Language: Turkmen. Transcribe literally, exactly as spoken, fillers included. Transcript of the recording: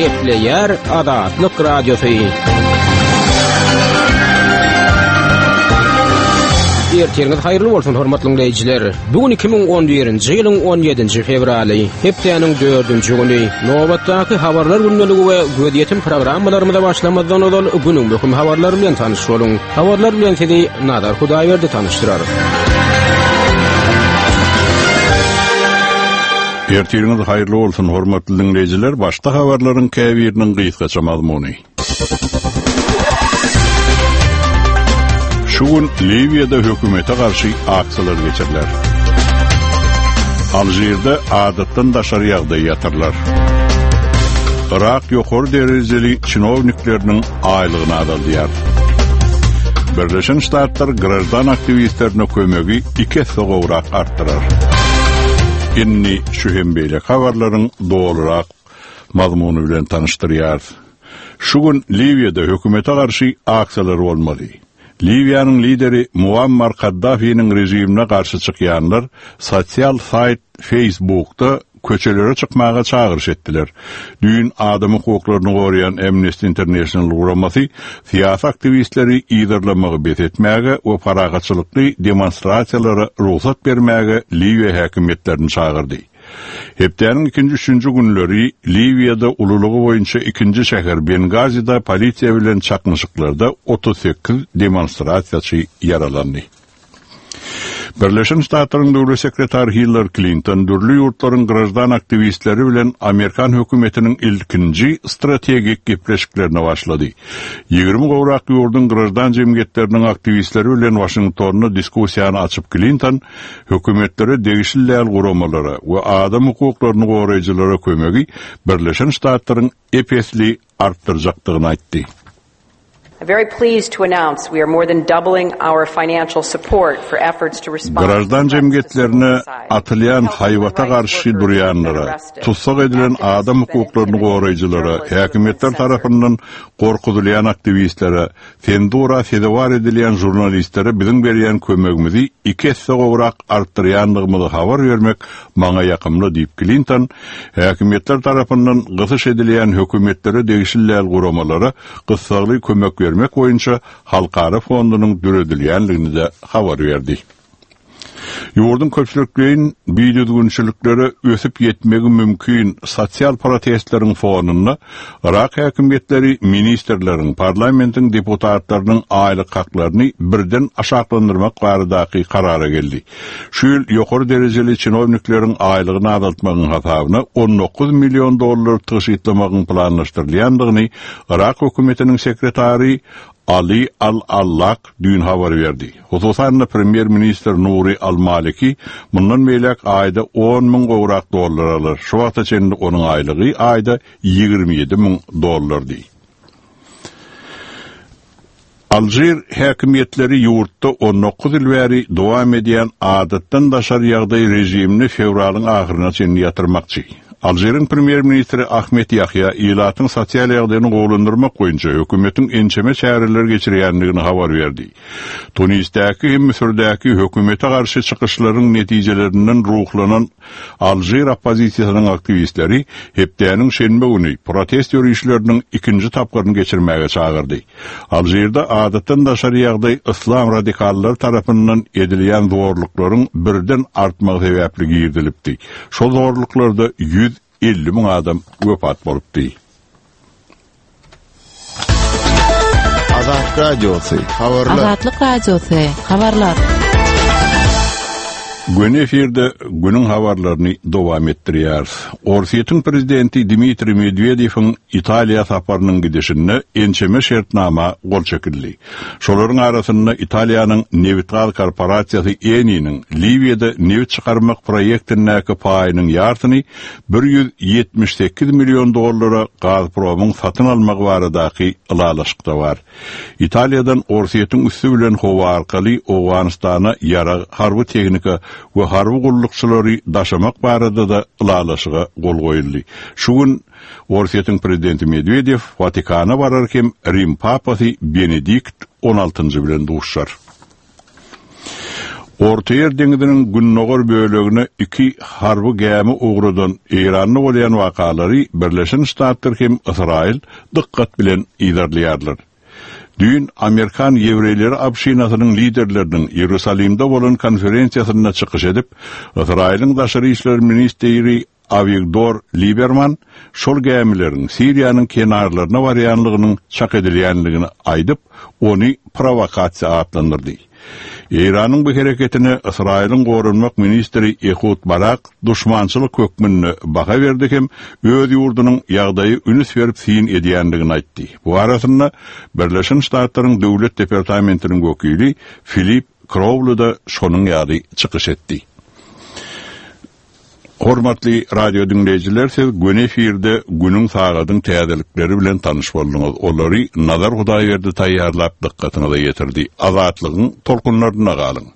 Gepleýär Azatlyk Radiosy. Ertiriňiz haýyrly bolsun hormatly dinleýjiler. Bu gün iki müň on birinji ýylyň on ýedinji fewraly, hepdäniň dördünji güni. Nobatdaky habarlar gündeligi we gözýetim programmalarymyza başlamazdan ozal günüň möhüm habarlary bilen tanyş boluň. Habarlar bilen sizi Nazar Hudaýberdi tanyşdyrar. Ertiriňiz haýyrly bolsun hormatly dinleýjiler. Başda habarlaryň käbiriniň gysgaça mazmuny. Şu gün Liwiýada hökümete garşy aksiýalar geçiriler. Alžirde adatdan daşary ýagdaý ýatyrlar. Irak ýokary derejeli çinownikleriniň aýlygyny azaldýar. Birleşen Ştatlar graždan aktiwistlerine kömegi iki esse gowrak artdyrar. Indi şu hem beýle habarlaryň dolurak mazmuny bilen tanyşdyrýarys. Şu gün Liwiýada hökümete garşy aksiýalar bolmaly. Liwiýanyň lideri Muammar Kaddafiniň režimine garşy çykýanlar sosial saýt Facebookda köçelere çykmaga çagyryş etdiler. Düýn adam hukuklaryny goraýan Amnesty International guramasy syýasy aktiwistleri yzarlamagy bes etmäge we parahatçylykly demonstrasiýalara rugsat bermäge Liwiýa häkimiýetlerini çagyrdy. Hepdäniň ikinji üçünji günleri Liwiýada ululygy boýunça ikinji şäher Bengazide polisiýa bilen çaknyşyklarda otuz sekiz demonstrasiýaçy ýaralandy. Birleşen Ştatlaryň döwlet sekretary Hillary Clinton dürli ýurtlaryň graždan aktiwistleri bilen Amerikan hökümetiniň ilkinji strategik gepleşiklerine başlady. Ýigrimi gowrak ýurduň graždan jemgyýetleriniň aktiwistleri bilen Washingtonda diskussiýany açyp Clinton hökümetlere degişli däl guramalara we adam hukuklaryny goraýjylara kömegi Birleşen Ştatlaryň epesli artdyrjakdygyny aýtdy. I'm very pleased to announce we are more than doubling our financial support for efforts to respond to Graždan threats to jemgyýetlerine civil society. atylýan Help human haýbata rights garşy workers who have been durýanlara, arrested. tussag edilen Activists adam who've been hukuklaryny intimidated, goraýjylara, journalists who have been häkimiýetler censored. tarapyndan gorkuzylýan aktiwistlere, senzura sezewar edilýän žurnalistlere biziň berýän kömegimizi iki esse gowrak artdyrýandygymyzy habar bermek maňa ýakymly diýip Clinton, häkimiýetler tarapyndan gysyş edilýän hökümetlere degişli däl guramalara gyssagly kömek bermek boýunça halkara fondunyň döredilýänligini de habar berdi. Ýurduň köpçülikleýin bidüzgünçiliklere ösüp ýetmegi mümkin sosial protestleriň fonunda Irak häkimiýetleri ministrleriň, parlamentiň deputatlarynyň aýlyk haklaryny birden aşaklandyrmak baradaky karara geldi. Şu ýyl ýokary derejeli çinownikleriň aýlygyny azaltmagyň hasabyna on dokuz million dollar tygşytlamagyň planlaşdyrylýandygyny Irak hökümetiniň sekretary Ali Al-Allak düýn habar berdi. Hususan-da premýer-ministr Nuri Al-Maliki mundan beýläk aýda on müň gowrak dollar alar. Şu wagta çenli onuň aýlygy aýda ýigrimi ýedi müň dollardy. Alžir häkimiýetleri ýurtda on dokuz ýyl bäri dowam edýän adatdan daşary ýagdaý režimini fewralyň ahyryna çenli ýatyrmakçy. Alžiriň premýer-ministri Ahmet Ýahýa ilatyň sosial ýagdaýyny gowulandyrmak boýunça hökümetiň ençeme çäreler geçirýändigini habar berdi. Tunisdäki hem Müsürdäki hökümete garşy çykyşlaryň netijelerinden ruhlanan Alžir oppozisiýasynyň aktiwistleri hepdäniň şenbe güni protest ýörişleriniň ikinji tapgyryny geçirmäge çagyrdy. Alžirde adatdan daşary ýagdaý islam radikallary tarapyndan edilýän zorluklaryň birden artmagy sebäpli girdilipdi. Şol zorluklarda ýüz elli müň adam wepat bolupdy. Azatlyk Radiosy, habarlar. Azatlyk Radiosy, habarlar. Gün efirde günüň habarlaryny dowam etdirýär. Orsýetiň prezidenti Dmitriý Medwedewiň Italiýa saparynyň gidişinde ençeme şertnama gol çekildi. Şolaryň arasynda Italiýanyň nebit-gaz korporasiýasy Eni-niň Liwiýada nebit çykarmak proýektindäki paýynyň ýarsyny bir ýüz ýetmiş sekiz million dollara Gazpromyň satyn almagy baradaky ylalaşykda bar. Italiýadan Orsýetiň üsti bilen howa arkaly Owganystana ýarag, harby tehnika we harby gullukçylary daşamak barada da ylalaşyga gol goýuldy. Şu gün Orsýetiň prezidenti Medwedew Watikana barar hem Rim papasy Benedikt on altynjy bilen duşar. Ortaýer deňiziniň gündogar bölegine iki harby gämi ugradan Eýranda bolýan wakalary Birleşen Ştatlar hem Ysraýyl dykgat bilen yzarlaýarlar. Düýn Amerikan ýewreýleri obşinasynyň liderleriniň Ýerusalimde bolan konferensiýasynda çykyş edip, Ysraýylyň daşary işler ministri Awigdor Liberman şol gämileriň Siriýanyň kenarlaryna barýanlygynyň çak edilýänligini aýdyp, ony provokasiýa atlandyrdy. Eýranyň bu hereketine Ysraýylyň goranmak ministri Ehud Barak duşmançylyk hökmünde baha berdi hem öz ýurdunyň ýagdaýy üns berip syn edýänligini aýtdy. Bu arasynda Birleşen Ştatlaryň Döwlet departamentiniň wekili Filip Krowly da şonuň ýaly çykyş etdi. Hormatly radio dinleýjiler, siz göni efirde günüň sagadyň täzelikleri bilen tanyş bolduňyz. Olary Nazar Hudaýberdi taýýarlap dykgatyňyza ýetirdi. Azatlygyň tolkunlarynda galyň.